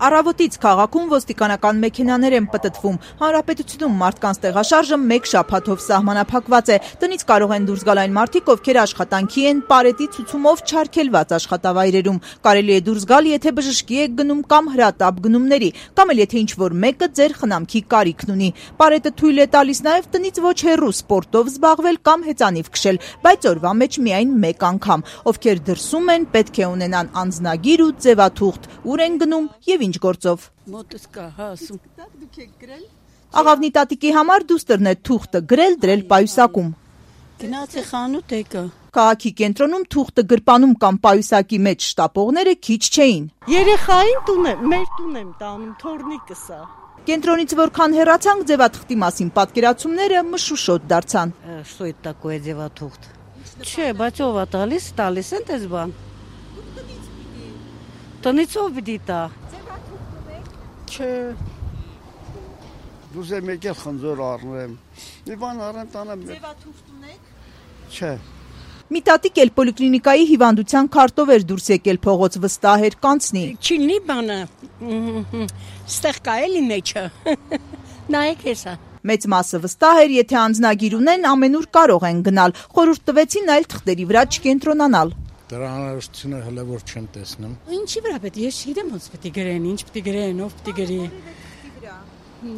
Առավոտից քաղաքում ոստիկանական մեքենաներ են պտտվում։ Հանրապետությունում մարդկանց տեղաշարժը մեկ շաբաթով սահմանափակված է։ Տնից կարող են դուրս գալ այն մարդիկ, ովքեր աշխատանքի են պարետի ցուցումով չարգելված աշխատավայրերում։ Կարելի է դուրս գալ, եթե բժշկի եք գնում կամ հրատապ գնումների, կամ էլ եթե ինչ-որ մեկը ձեր խնամքի կարիքն ունի։ Պարետը թույլ է տալիս նաև տնից ոչ հեռու սպորտով զբաղվել կամ հեծանիվ քշել, բայց օրվա մեջ միայն մեկ անգամ։ Ովքեր դրսում են, պետք է ունենան անձնագիր ու ձևաթուղթ, ուր են գնում եւ ինչ գործով։ Մոտս կա, հասում։ Դուք եք գրել։ Աղավնի տատիկի համար դուստրն է թուղթը գրել դրել պայուսակում։ Գնացի խանութ եկա։ Քաղաքի կենտրոնում թուղթը գրպանում կամ պայուսակի մեջ շտապողները քիչ չէին։ Երեխային տուն եմ, մեր տուն եմ տանում, թորնիկս է։ Կենտրոնից որքան հեռացանք, ձևաթղթի մասին պատկերացումները մշուշոտ դարձան։ Что это такое ձևաթուղթ։ Չէ, բայց ով է տալիս են դες բան։ Տնից ով պիտի տա։ Չէ։ Դուս եմ եկել խնձոր առնեմ։ Մի բան առեմ տանեմ։ Ձևաթուղթ ունեք։ Չէ։ Մի տատիկ էլ պոլիկլինիկայի հիվանդության քարտով էր դուրս եկել փողոց վստահ էր կանցնի։ Չինի բանը։ Ստեղ կա էլի մեջը։ Նայեք հեսա։ Մեծ մասը վստահ էր, եթե անձնագիր ունեն, ամենուր կարող են գնալ։ Խորհուրդ տվեցին այլ թղթերի վրա չկենտրոնանալ։ Դրա անհրաժեշտությունը հələ որ չեմ տեսնում։ Ինչի վրա պետք է, ես չգիտեմ ոնց պետք է գրեն, ինչ պետք է գրեն, ով պետք է գրի։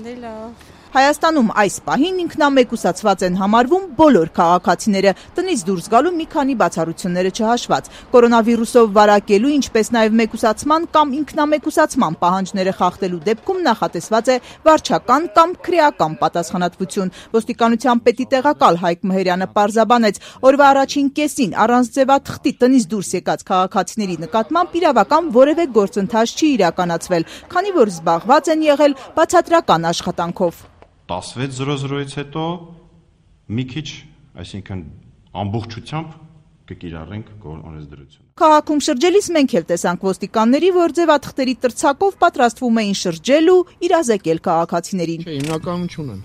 Դե լավ։ Հայաստանում այս պահին ինքնամեկուսացված են համարվում բոլոր քաղաքացիները, տնից դուրս գալու մի քանի բացառությունները չհաշված։ Կորոնավիրուսով վարակելու, ինչպես նաև մեկուսացման կամ ինքնամեկուսացման պահանջները խախտելու դեպքում նախատեսված է վարչական կամ քրեական պատասխանատվություն։ Ոստիկանության պետի տեղակալ Հայկ Մհերյանը պարզաբանեց, օրվա առաջին կեսին առանց ձևաթղթի տնից դուրս եկած քաղաքացիների նկատմամբ իրավական որևէ գործընթաց չի իրականացվել, քանի որ զբաղված են եղել բացատրական աշխատանքով։ 16:00-ից հետո մի քիչ, այսինքն ամբողջությամբ կկիրառենք օրենսդրությունը։ Քաղաքում շրջելիս մենք էլ տեսանք ոստիկանների, որ ձևաթղթերի տրցակով պատրաստվում էին շրջել ու իրազեկել քաղաքացիներին։ Չէ, հիմնականում չունեն։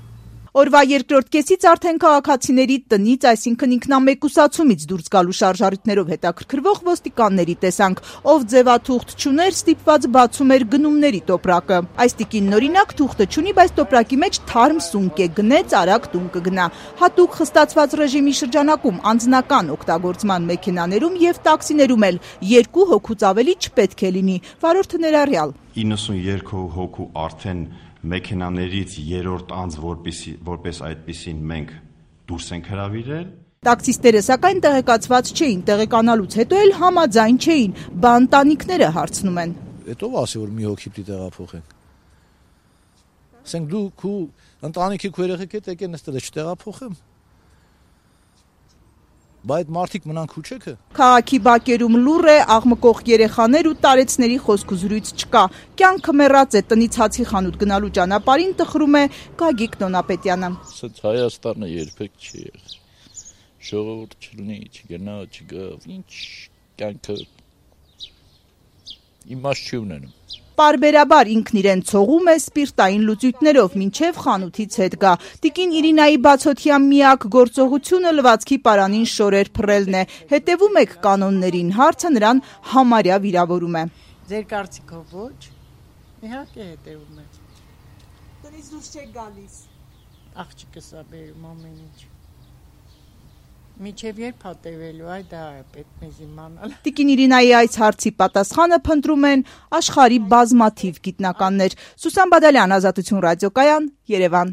Օրվա երկրորդ կեսից արդեն քաղաքացիների տնից, այսինքն ինքնամեկուսացումից դուրս գալու շարժառիթներով հետաքրքրվող ոստիկանների տեսանք, ով ձևաթուղթ չուներ, ստիպված բացում էր գնումների տոպրակը։ Այս տիկինն օրինակ թուղթը չունի, բայց տոպրակի մեջ թարմ սունկ է, գնեց արագ տուն կգնա։ Հատուկ խստացված ռեժիմի շրջանակում անձնական օգտագործման մեքենաներում եւ տաքսիներում էլ 2 հոգուց ավելի չպետք է լինի, վարորդը ներառյալ։ 92 հոգու արդեն մեքենաներից երրորդ անձ որպես այդպիսին մենք դուրս ենք հրավիրել։ Տաքսիստերը սակայն տեղեկացված չէին, տեղեկանալուց հետո էլ համաձայն չէին, բան տանիքները հարցնում են։ Հետո ասի որ մի հոգի պիտի տեղափոխենք։ Ասենք դու քու ընտանիքի քու երեխեք հետ եկեն նստել չտեղափոխեմ։ Բայց մարդիկ մնան քուչեքը։ Քաղաքի բակերում լուռ է, աղմկող երեխաներ ու տարեցների խոսք ու զրույց չկա։ Կյանքը մեռած է, տնից հացի խանութ գնալու ճանապարհին տխրում է Գագիկ Նոնապետյանը։ Սենց Հայաստանը երբեք չի եղել։ Ժողովուրդ չլինի, չգնա, չգավ, ինչ կյանքը իմաստ չի ունենում։ Պարբերաբար ինքն իրեն ցողում է սպիրտային լուծույթներով, մինչև խանութից հետ գա։ Տիկին Իրինայի բացօթյա միակ գործողությունը լվացքի պարանին շորեր փռելն է։ Հետևում եք կանոններին, հարցը նրան համարյա վիրավորում է։ Ձեր կարծիքով ոչ։ Իհարկե հետևում եք։ Տնից դուրս չեք գալիս։ Աղջիկս է բերում ամեն ինչ։ Միջև երբ հատևելու, այ դա է պետք մեզ իմանալ։ Տիկին Իրինայի այս հարցի պատասխանը փնտրում են աշխարհի բազմաթիվ գիտնականներ։ Սուսան Բադալյան, Ազատություն ռադիոկայան, Երևան։